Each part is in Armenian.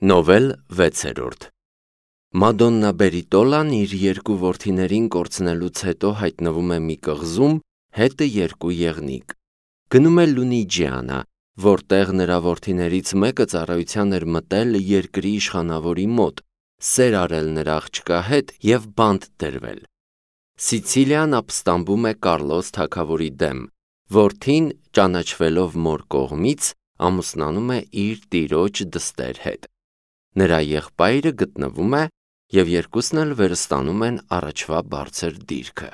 Նովել 6-րդ Մադոննա Բերիտոլան իր երկու որդիներին կորցնելուց հետո հայտնվում է մի կղզում, հետը երկու եղնիկ։ Գնում է Լունիջիանա, որտեղ նրա որդիներից մեկը ծառայության էր մտել երկրի իշխանավորի մոտ, սեր արել նրա աղջկա հետ և բանտ դրվել։ Սիցիլիան ապստամբում է Կարլոս թագավորի դեմ, որդին, ճանաչվելով մոր կողմից, ամուսնանում է իր տիրոջ դստեր հետ։ Նրա եղբայրը գտնվում է և երկուսն էլ վերստանում են առաջվա բարձր դիրքը։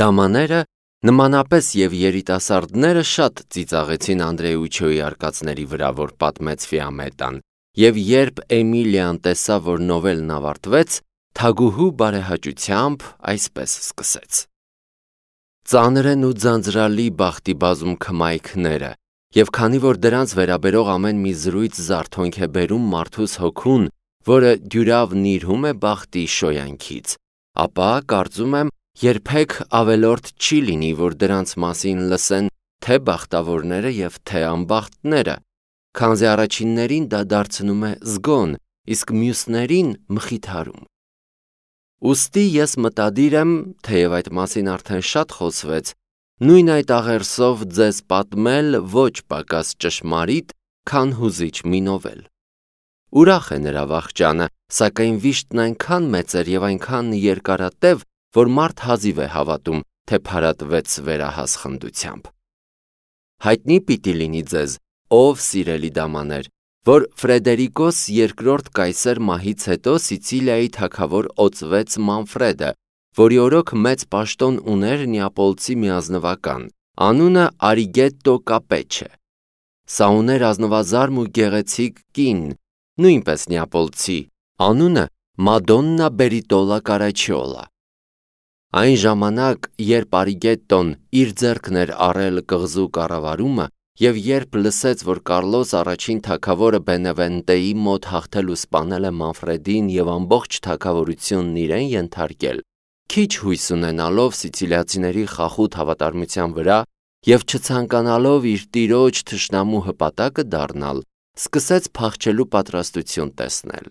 Դամաները, նմանապես և երիտասարդները շատ ծիծաղեցին Անդրեուչոյի արկածների վրա, որ պատմեց Ֆիամետան, և երբ Էմիլիան տեսավ, որ նովելն ավարտվեց, թագուհու բարեհաճությամբ այսպես սկսեց. Ծանր են ու ձանձրալի բախտիբազում քմայքները, և քանի որ դրանց վերաբերող ամեն մի զրույց զարթոնք է բերում մարդուս հոգուն, որը դյուրավ նիրհում է բախտի շոյանքից, ապա կարծում եմ երբեք ավելորդ չի լինի, որ դրանց մասին լսեն թե բախտավորները և թե անբախտները, քանզի առաջիններին դա դարձնում է զգոն, իսկ մյուսներին մխիթարում։ Ուստի ես մտադիր եմ, թեև այդ մասին արդեն շատ խոսվեց, նույն այդ աղերսով ձեզ պատմել ոչ պակաս ճշմարիտ, քան հուզիչ մի նովել։ Ուրախ է նրա վախճանը, սակայն վիշտն այնքան մեծ էր և այնքան երկարատև, որ մարդ հազիվ է հավատում, թե փարատվեց վերահաս խնդությամբ։ Հայտնի պիտի լինի ձեզ, ով սիրելի դամաներ, որ Ֆրեդերիկոս II կայսեր մահից հետո Սիցիլիայի թագավոր օծվեց Մանֆրեդը, որի օրոք մեծ պաշտոն ուներ Նեապոլցի մի ազնվական, անունը Արիգետտո Կապեչը։ Սա ուներ ազնվազարմ ու գեղեցիկ կին, նույնպես Նեապոլցի, անունը Մադոննա Բերիտոլա Կարաչիոլա։ Այն ժամանակ, երբ Արիգետտոն իր ձեռքն էր առել կղզու կառավարումը, և երբ լսեց, որ Կարլոս առաջին թագավորը Բենևենտեի մոտ հաղթել ու սպանել է Մանֆրեդին և ամբողջ թագավորությունն իրեն ենթարկել, քիչ հույս ունենալով սիցիլիացիների խախուտ հավատարմության վրա և չցանկանալով իր տիրոջ թշնամու հպատակը դառնալ, սկսեց փախչելու պատրաստություն տեսնել։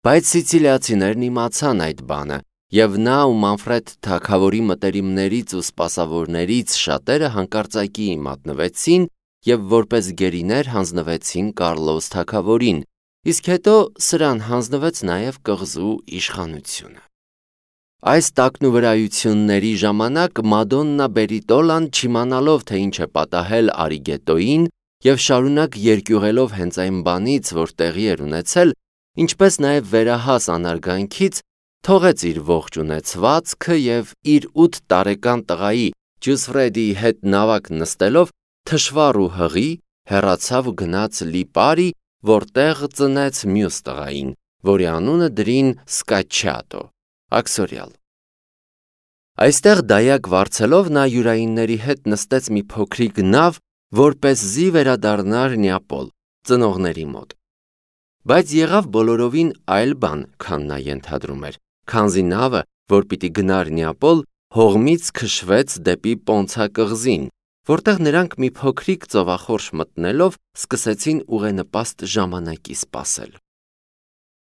Բայց սիցիլիացիներն իմացան այդ բանը, և նա ու Մանֆրեդ թագավորի մտերիմներից ու սպասավորներից շատերը հանկարծակի մատնվեցին և որպես գերիներ հանձնվեցին Կարլոս թագավորին, իսկ հետո սրան հանձնվեց նաև կղզու իշխանությունը։ Այս տակնուվրայությունների ժամանակ Մադոննա Բերիտոլան, չիմանալով, թե ինչ է պատահել Արիգետտոյին և շարունակ երկյուղելով հենց այն բանից, որ տեղի էր ունեցել, ինչպես նաև վերահաս անարգանքից, թողեց իր ողջ ունեցվածքը և իր 8 տարեկան տղայի Ջուսֆրեդիի հետ նավակ նստելով թշվառ ու հղի հեռացավ ու գնաց Լիպարի, որտեղ ծնեց մյուս տղային, որի անունը դրին Սկաչիատո, աքսորյալ։ Այստեղ դայակ վարձելով նա յուրայինների հետ նստեց մի փոքրիկ նավ, որպեսզի վերադառնար Նեապոլ, ծնողների մոտ։ Բայց եղավ բոլորովին այլ բան, քան նա ենթադրում էր, քանզի նավը, որ պիտի գնար Նեապոլ, հողմից քշվեց դեպի Պոնցա կղզին, որտեղ նրանք մի փոքրիկ ծովախորշ մտնելով սկսեցին ուղենպաստ ժամանակի սպասել։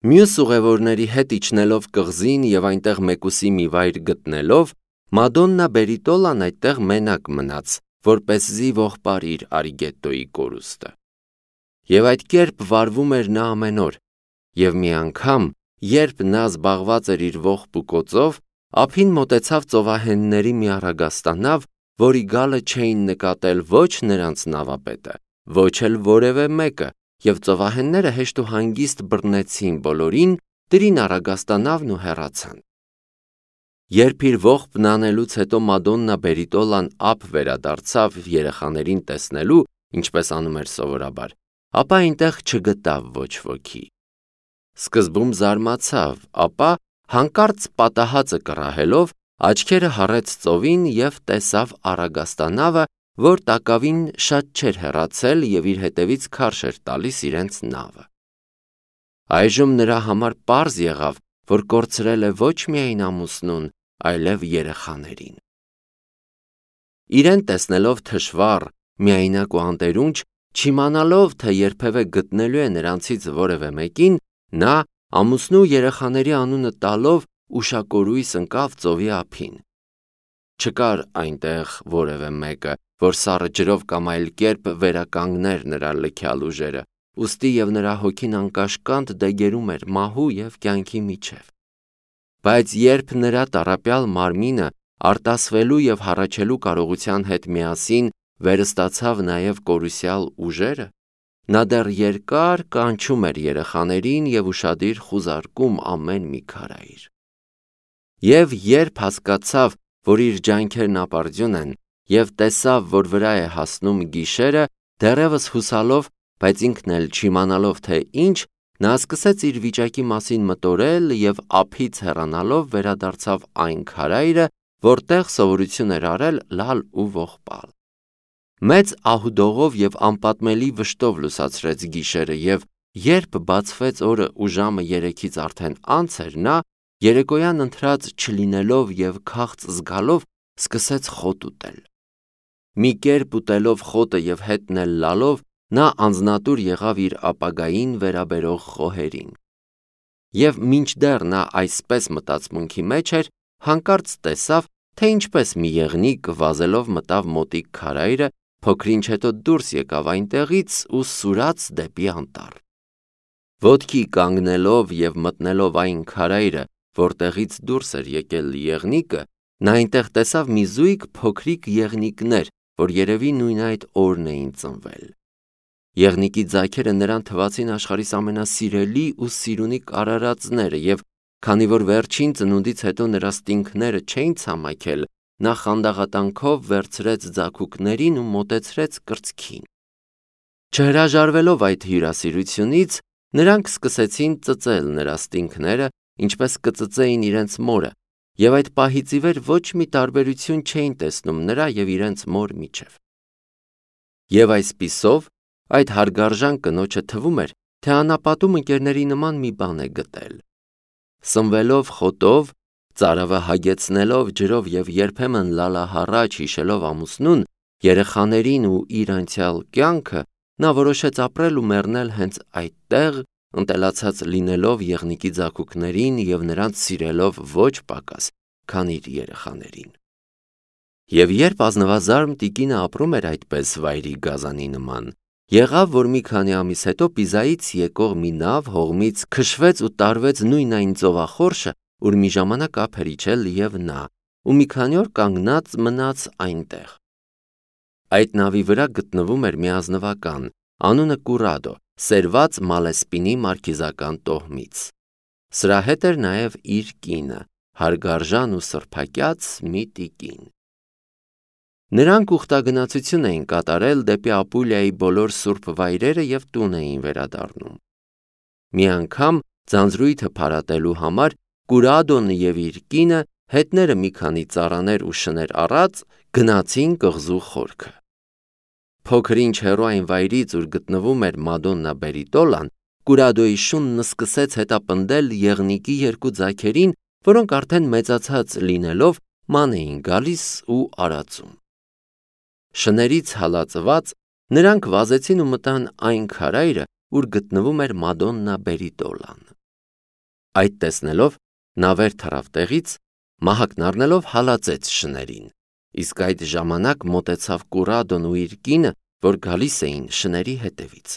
Մյուս ուղևորների հետ իջնելով կղզին և այնտեղ մեկուսի մի վայր գտնելով, Մադոննա Բերիտոլան այդտեղ մենակ մնաց, որպեսզի ողբարի իր Արիգետտոյի կորուստը։ Եվ այդ կերպ վարվում էր նա ամեն օր, և մի անգամ, երբ նա զբաղված էր իր ողբ ու կոծով, ափին մոտեցավ ծովահենների մի առագաստանավ, որի գալը չէին նկատել ոչ նրանց նավապետը, ոչ էլ որևէ մեկը, և ծովահենները հեշտ ու հանգիստ բռնեցին բոլորին, դրին առագաստանավն ու հեռացան։ Երբ իր ողբն անելուց հետո Մադոննա Բերիտոլան ափ վերադարձավ երեխաներին տեսնելու, ինչպես անում էր սովորաբար, ապա այնտեղ չգտավ ոչ ոքի։ Սկզբում զարմացավ, ապա հանկարծ պատահածը կռահելով, աչքերը հառեց ծովին և տեսավ առագաստանավը, որ տակավին շատ չէր հեռացել և իր հետևից քարշ էր տալիս իրենց նավը։ Այժմ նրա համար պարզ եղավ, որ կորցրել է ոչ միայն ամուսնուն, այլև երեխաներին։ Իրեն տեսնելով թշվառ, միայնակ ու անտերունջ, Չիմանալով, թե երբևէ գտնելու է նրանցից որևէ մեկին, նա ամուսնու երեխաների անունը տալով ուշակորույս ընկավ ծովի ափին։ Չկար այնտեղ որևէ մեկը, որ սառը ջրով կամ այլ կերպ վերականգներ նրա լքյալ ուժերը, ուստի և նրա հոգին անկաշկանդ դեգերում էր մահու և կյանքի միջև։ Բայց երբ նրա տառապյալ մարմինը արտասվելու և հառաչելու կարողության հետ միասին վերստացավ նաև կորուսյալ ուժերը, նա դեռ երկար կանչում էր երեխաներին և ուշադիր խուզարկում ամեն մի քարայր։ Եվ երբ հասկացավ, որ իր ջանքերն ապարդյուն են, և տեսավ, որ վրա է հասնում գիշերը, դեռևս հուսալով, բայց ինքն էլ չիմանալով թե ինչ, նա սկսեց իր վիճակի մասին մտորել և ափից հեռանալով վերադարձավ այն քարայրը, որտեղ սովորություն էր արել լալ ու ողբալ։ Մեծ ահուդողով և անպատմելի վշտով լուսացրեց գիշերը, և երբ բացվեց օրը ու ժամը 3-ից արդեն անց էր, նա երեկոյան ընթրած չլինելով և քաղց զգալով սկսեց խոտ ուտել։ Մի կերպ ուտելով խոտը և հետն էլ լալով, նա անձնատուր եղավ իր ապագային վերաբերող խոհերին։ Եվ մինչդեռ նա այսպես մտածմունքի մեջ էր, հանկարծ տեսավ, թե ինչպես մի եղնիկ վազելով մտավ մոտիկ քարայրը, փոքր-ինչ հետո դուրս եկավ այնտեղից ու սուրաց դեպի անտառ։ Ոտքի կանգնելով և մտնելով այն քարայրը, որտեղից դուրս էր եկել եղնիկը, նա այնտեղ տեսավ մի զույգ փոքրիկ եղնիկներ, որ երևի նույն այդ օրն էին ծնվել։ Եղնիկի ձագերը նրան թվացին աշխարհիս ամենասիրելի ու սիրունիկ արարածները, և քանի որ վերջին ծնունդից հետո նրա ստինքները չէին ցամաքել, նա խանդաղատանքով վերցրեց ձագուկներին ու մոտեցրեց կրծքին։ Չհրաժարվելով այդ հյուրասիրությունից, նրանք սկսեցին ծծել նրա ստինքները, ինչպես կծծեին իրենց մորը, և այդ պահից ի վեր ոչ մի տարբերություն չէին տեսնում նրա և իրենց մոր միջև։ Եվ այսպիսով, այդ հարգարժան կնոջը թվում էր, թե անապատում ընկերների նման մի բան է գտել։ Սնվելով խոտով, ծարավը հագեցնելով ջրով և երբեմն լալահառաչ հիշելով ամուսնուն, երեխաներին ու իր անցյալ կյանքը, նա որոշեց ապրել ու մեռնել հենց այդտեղ, ընտելացած լինելով եղնիկի ձագուկներին և նրանց սիրելով ոչ պակաս, քան իր երեխաներին։ Եվ երբ ազնվազարմ տիկինը ապրում էր այդպես վայրի գազանի նման, եղավ, որ մի քանի ամիս հետո Պիզայից եկող մի նավ հողմից քշվեց ու տարվեց նույն այն ծովախորշը, ուր մի ժամանակ ափ էր իջել և նա, ու մի քանի օր կանգնած մնաց այնտեղ։ Այդ նավի վրա գտնվում էր մի ազնվական, անունը Կուրադո, սերված Մալեսպինի մարքիզական տոհմից։ Սրա հետ էր նաև իր կինը, հարգարժան ու սրբակյաց մի տիկին։ Նրանք ուխտագնացություն էին կատարել դեպի Ապուլիայի բոլոր սուրբ վայրերը և տուն էին վերադառնում։ Մի անգամ ձանձրույթը փարատելու համար Կուրադոն և իր կինը, հետները մի քանի ծառաներ ու շներ առած, գնացին կղզու խորքը։ Փոքր-ինչ հեռու այն վայրից, ուր գտնվում էր Մադոննա Բերիտոլան, Կուրադոյի շունն սկսեց հետապնդել եղնիկի երկու ձագերին, որոնք արդեն մեծացած լինելով ման էին գալիս ու արածում։ Շներից հալածված, նրանք վազեցին ու մտան այն քարայրը, ուր գտնվում էր Մադոննա Բերիտոլան։ Այդ տեսնելով, նա վեր թռավ տեղից, մահակն առնելով հալածեց շներին, իսկ այդ ժամանակ մոտեցավ Կուրադոն ու իր կինը, որ գալիս էին շների հետևից։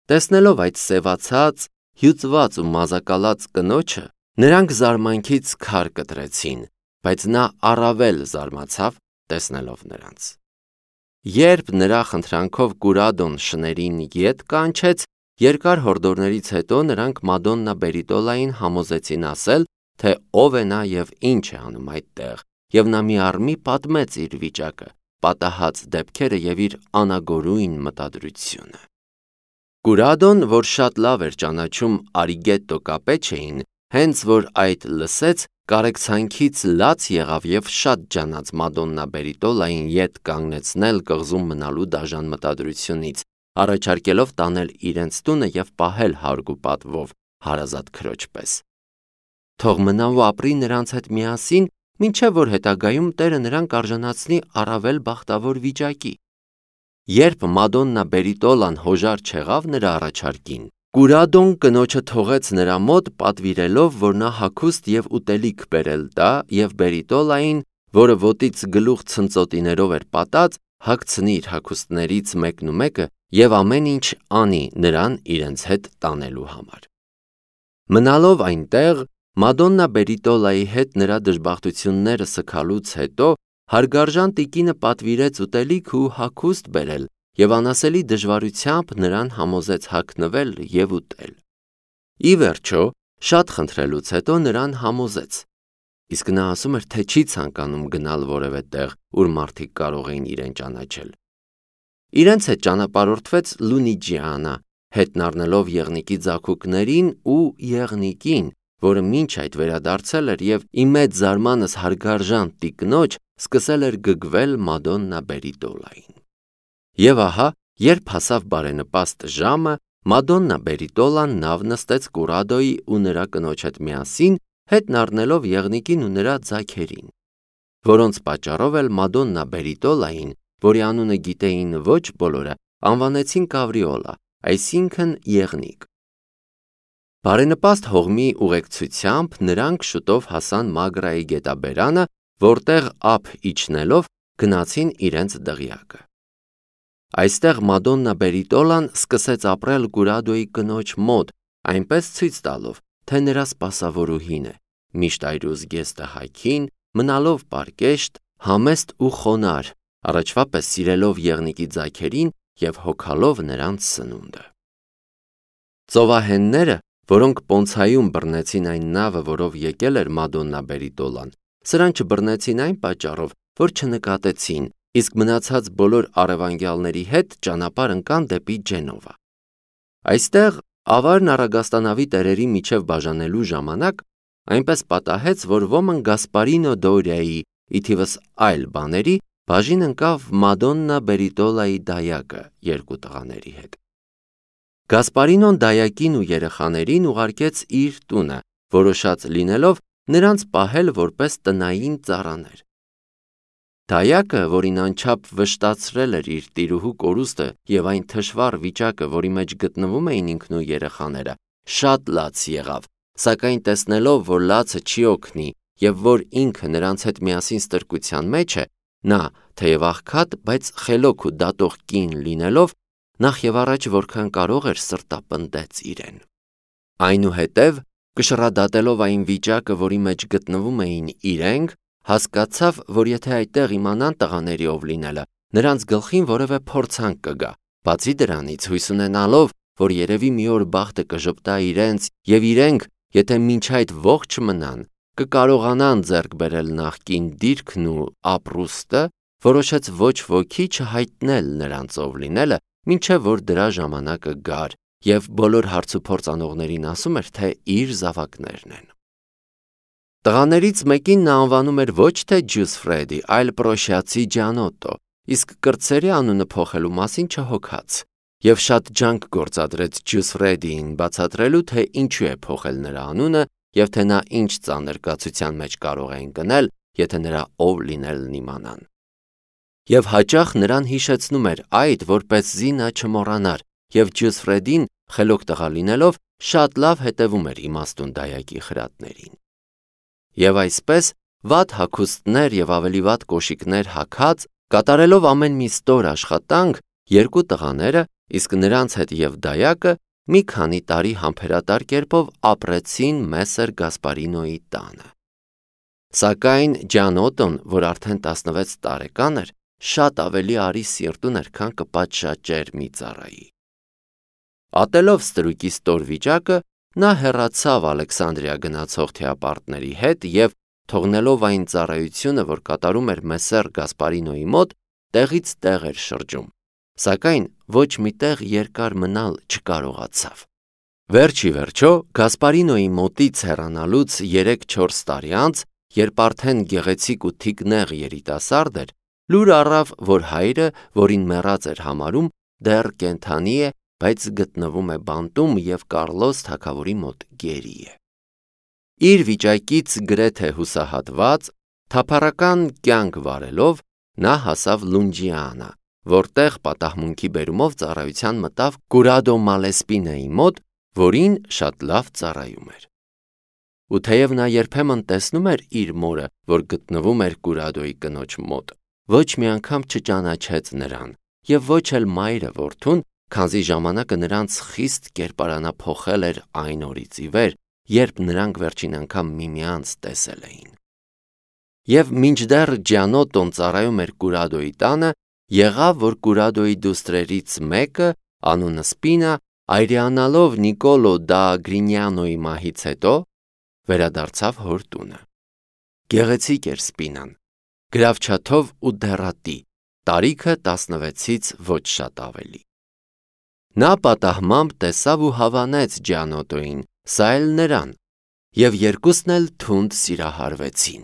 Տեսնելով այդ սևացած, հյուծված ու մազակալած կնոջը, նրանք զարմանքից քար կտրեցին, բայց նա առավել զարմացավ, տեսնելով նրանց։ Երբ նրա խնդրանքով Կուրադոն շներին ետ կանչեց, երկար հորդորներից հետո նրանք Մադոննա Բերիտոլային համոզեցին ասել, թե ով է նա և ինչ է անում այդտեղ, և նա մի առ մի պատմեց իր վիճակը, պատահած դեպքերը և իր անագորույն մտադրությունը։ Կուրադոն, որ շատ լավ էր ճանաչում Արիգետտո Կապեչեին, հենց որ այդ լսեց, կարեկցանքից լաց եղավ և շատ ջանաց Մադոննա Բերիտոլային ետ կանգնեցնել կղզում մնալու դաժան մտադրությունից, առաջարկելով տանել իրենց տունը և պահել հարգ ու պատվով հարազատ քրոջ պես։ Թող մնա ու ապրի նրանց հետ միասին, մինչև որ հետագայում Տերը նրան կարժանացնի առավել բախտավոր վիճակի։ Երբ Մադոննա Բերիտոլան հոժար չեղավ նրա առաջարկին, Կուրադոն կնոջը թողեց նրա մոտ պատվիրելով, որ նա հագուստ և ուտելիք բերել տա և Բերիտոլային, որը ոտից գլուխ ցնծոտիներով էր պատած, հագցնի իր հագուստներից մեկնումեկը և ամեն ինչ անի նրան իրենց հետ տանելու համար։ Մնալով այնտեղ, Մադոննա Բերիտոլայի հետ նրա դժբախտությունները սգալուց հետո հարգարժան տիկինը պատվիրեց ուտելիք ու հագուստ բերել և անասելի դժվարությամբ նրան համոզեց հագնվել և ուտել։ Ի վերջո, շատ խնդրելուց հետո նրան համոզեց, իսկ նա ասում էր, թե չի ցանկանում գնալ որևէ տեղ, ուր մարդիկ կարող էին իրեն ճանաչել։ Իրենց հետ ճանապարհորդվեց Լունիջիանա, հետն առնելով եղնիկի ձագուկներին ու եղնիկին, որը մինչ այդ վերադարձել էր և ի մեծ զարմանս հարգարժան տիկնոջ սկսել էր գգվել Մադոննա Բերիտոլային։ Եվ ահա, երբ հասավ բարենպաստ ժամը, Մադոննա Բերիտոլան նավ նստեց Կուրադոյի ու նրա կնոջ հետ միասին, հետն առնելով եղնիկին ու նրա ձագերին, որոնց պատճառով էլ Մադոննա Բերիտոլային, որի անունը գիտեին ոչ բոլորը, անվանեցին Կավրիոլա, այսինքն եղնիկ։ Բարենպաստ հողմի ուղեկցությամբ նրանք շուտով հասան Մագրայի գետաբերանը, որտեղ ափ իջնելով գնացին իրենց դղյակը։ Այստեղ Մադոննա Բերիտոլան սկսեց ապրել Կուրադոյի կնոջ մոտ, այնպես ցույց տալով, թե նրա սպասավորուհին է, միշտ այրուզգեստը հագին, մնալով պարկեշտ, համեստ ու խոնարհ, առաջվա պես սիրելով եղնիկի ձագերին և հոգալով նրանց սնունդը։ Ծովահենները, որոնք Պոնցայում բռնեցին այն նավը, որով եկել էր Մադոննա Բերիտոլան, սրան չբռնեցին այն պատճառով, որ չնկատեցին, իսկ մնացած բոլոր առևանգյալների հետ ճանապարհ ընկան դեպի Ջենովա։ Այստեղ ավարն առագաստանավի տերերի միջև բաժանելու ժամանակ այնպես պատահեց, որ ոմն Գասպարինո Դորիայի, ի թիվս այլ բաների, բաժին ընկավ Մադոննա Բերիտոլայի դայակը երկու տղաների հետ։ Գասպարինոն դայակին ու երեխաներին ուղարկեց իր տունը, որոշած լինելով նրանց պահել որպես տնային ծառաներ։ Դայակը, որին անչափ վշտացրել էր իր տիրուհու կորուստը և այն թշվառ վիճակը, որի մեջ գտնվում էին ինքն ու երեխաները, շատ լաց եղավ, սակայն տեսնելով, որ լացը չի օգնի և որ ինքը նրանց հետ միասին ստրկության մեջ է, նա, թեև աղքատ, բայց խելոք ու դատող կին լինելով, նախ և առաջ որքան կարող էր սրտապնդեց իրեն։ Այնուհետև, կշռադատելով այն վիճակը, որի մեջ գտնվում էին իրենք, հասկացավ, որ եթե այդտեղ իմանան տղաների ով լինելը, նրանց գլխին որևէ փորձանք կգա, բացի դրանից հույս ունենալով, որ երևի մի օր բախտը կժպտա իրենց և իրենք, եթե մինչ այդ ողջ մնան, կկարողանան ձեռք բերել նախկին դիրքն ու ապրուստը, որոշեց ոչ ոքի չհայտնել նրանց ով լինելը, մինչև որ դրա ժամանակը գար, և բոլոր հարցուփորձ անողներին ասում էր, թե իր զավակներն են։ Տղաներից մեկին նա անվանում էր ոչ թե Ջուսֆրեդի, այլ Պրոշիացի Ջանոտո, իսկ կրտսերի անունը փոխելու մասին չհոգաց, և շատ ջանք գործադրեց Ջուսֆրեդիին բացատրելու, թե ինչու է փոխել նրա անունը և թե նա ինչ ծանր կացության մեջ կարող է ընկնել, եթե նրա ով լինելն իմանան։ Եվ հաճախ նրան հիշեցնում էր այդ, որպեսզի նա չմոռանար, և Ջուսֆրեդին, խելոք տղա լինելով, շատ լավ հետևում էր իմաստուն դայակի խրատներին։ Եվ այսպես, վատ հագուստներ և ավելի վատ կոշիկներ հագած, կատարելով ամեն մի ստոր աշխատանք, երկու տղաները, իսկ նրանց հետ և դայակը, մի քանի տարի համբերատար կերպով ապրեցին Մեսեր Գասպարինոյի տանը։ Սակայն Ջանոտոն, որ արդեն 16 տարեկան էր, շատ ավելի արի սիրտուն էր, քան կպատշաճեր մի ծառայի։ Ատելով ստրուկի ստոր վիճակը, նա հեռացավ Ալեքսանդրիա գնացող թեապարտների հետ և, թողնելով այն ծառայությունը, որ կատարում էր Մեսեր Գասպարինոյի մոտ, տեղից տեղ էր շրջում, սակայն ոչ մի տեղ երկար մնալ չկարողացավ։ Վերջ ի վերջո, Գասպարինոյի մոտից հեռանալուց 3-4 տարի անց, երբ արդեն գեղեցիկ ու թիկնեղ երիտասարդ էր, լուր առավ, որ հայրը, որին մեռած էր համարում, դեռ կենդանի է, բայց գտնվում է բանտում և Կառլոս թագավորի մոտ գերի է։ Իր վիճակից գրեթե հուսահատված, թափառական կյանք վարելով, նա հասավ Լունջիանա, որտեղ պատահմունքի բերումով ծառայության մտավ Կուրադո Մալեսպինեի մոտ, որին շատ լավ ծառայում էր։ Ու թեև նա երբեմն տեսնում էր իր մորը, որ գտնվում էր Կուրադոյի կնոջ մոտ, ոչ մի անգամ չճանաչեց նրան, եւ ոչ էլ մայրը որդուն, քանզի ժամանակը նրանց խիստ կերպարանափոխել էր այն օրից ի վեր, երբ նրանք վերջին անգամ միմյանց տեսել էին։ Եվ մինչդեռ Ջանոտոն ծառայում էր Կուրադոյի տանը, եղավ, որ Կուրադոյի դուստրերից մեկը, անունը Սպինա, այրիանալով Նիկոլո դա Գրինյանոյի մահից հետո, վերադարձավ հոր տունը։ Գեղեցիկ էր Սպինան, գրավչաթով ու դեռատի, տարիքը 16-ից ոչ շատ ավելի։ Նա պատահմամբ տեսավ ու հավանեց Ջանոտոյին, սա էլ նրան, եւ երկուսն էլ թունդ սիրահարվեցին։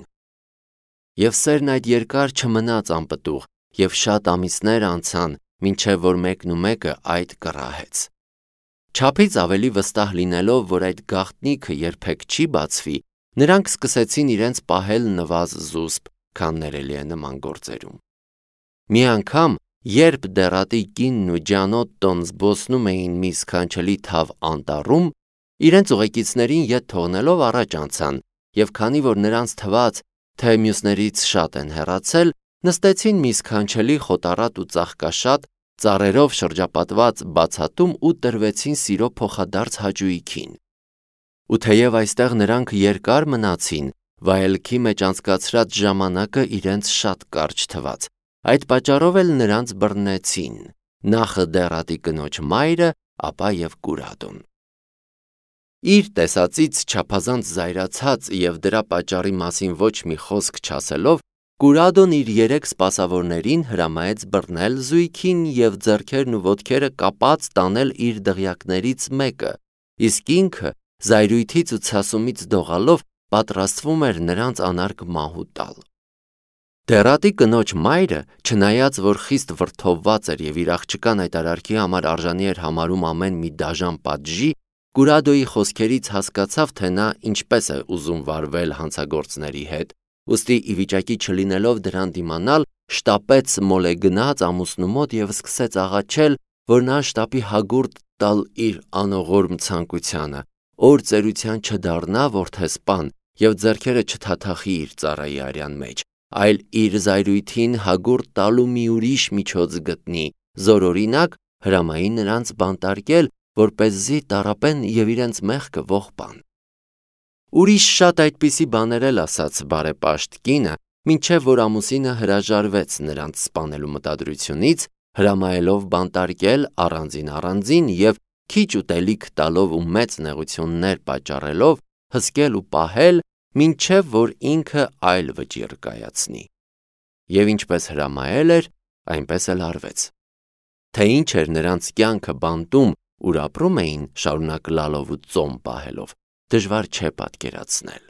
Եվ սերն այդ երկար չմնաց անպտուղ, եւ շատ ամիսներ անցան, մինչև որ մեկն ու մեկը այդ կռահեց։ Չափից ավելի վստահ լինելով, որ այդ գաղտնիքը երբեք չի բացվի, նրանք սկսեցին իրենց պահել նվազ զուսպ, քան ներելի է նման գործերում։ Մի անգամ, երբ դեռատի կինն ու Ջանոտոն զբոսնում էին մի սքանչելի թավ անտառում, իրենց ուղեկիցներին ետ թողնելով առաջ անցան, եւ քանի որ նրանց թվաց, թե մյուսներից շատ են հեռացել, նստեցին մի սքանչելի խոտառատ ու ծաղկաշատ, ծառերով շրջապատված բացատում ու տրվեցին սիրո փոխադարձ հաճույքին։ Ու թեև այստեղ նրանք երկար մնացին, վայելքի մեջ անցկացրած ժամանակը իրենց շատ կարճ թվաց, այդ պատճառով էլ նրանց բռնեցին, նախ դեռատի կնոջ մայրը, ապա եւ Կուրադոն։ Իր տեսածից չափազանց զայրացած եւ դրա պատճառի մասին ոչ մի խոսք չասելով, Կուրադոն իր 3 սպասավորներին հրամայեց բռնել զույգին եւ ձեռքերն ու ոտքերը կապած տանել իր դղյակներից մեկը, իսկ ինքը զայրույթից ու ցասումից դողալով պատրաստվում էր նրանց անարգ մահու տալ։ Դեռատի կնոջ մայրը, չնայած որ խիստ վրդովված էր եւ իր աղջկան այդ արարքի համար արժանի էր համարում ամեն մի դաժան պատժի, Կուրադոյի խոսքերից հասկացավ, թե նա ինչպես է ուզում վարվել հանցագործների հետ, ուստի ի վիճակի չլինելով դրան դիմանալ, շտապեց մոլե գնաց ամուսնու մոտ եւ սկսեց աղաչել, որ նա շտապի հագուրդ տալ իր անողորմ ցանկությանը, օր ծերության չդառնա որդեսպան եւ ձեռքերը չթաթախի իր ծառայի արյան մեջ, այլ իր զայրույթին հագուրդ տալու մի ուրիշ միջոց գտնի, զորօրինակ հրամայի նրանց բանտարկել, որպեսզի տառապեն եւ իրենց մեղքը ողբան։ Ուրիշ շատ այդպիսի բաներ էլ ասաց բարեպաշտ կինը, մինչև որ ամուսինը հրաժարվեց նրանց սպանելու մտադրությունից, հրամայելով բանտարկել առանձին եւ քիչ ուտելիք տալով ու մեծ նեղություններ պատճառելով հսկել ու պահել, մինչև որ ինքը այլ վճիռ կայացնի։ Եվ ինչպես հրամայել էր, այնպես էլ արվեց։ Թե ինչ էր նրանց կյանքը բանտում, ուր ապրում էին, շարունակ լալով ու ծոմ պահելով, դժվար չէ պատկերացնել։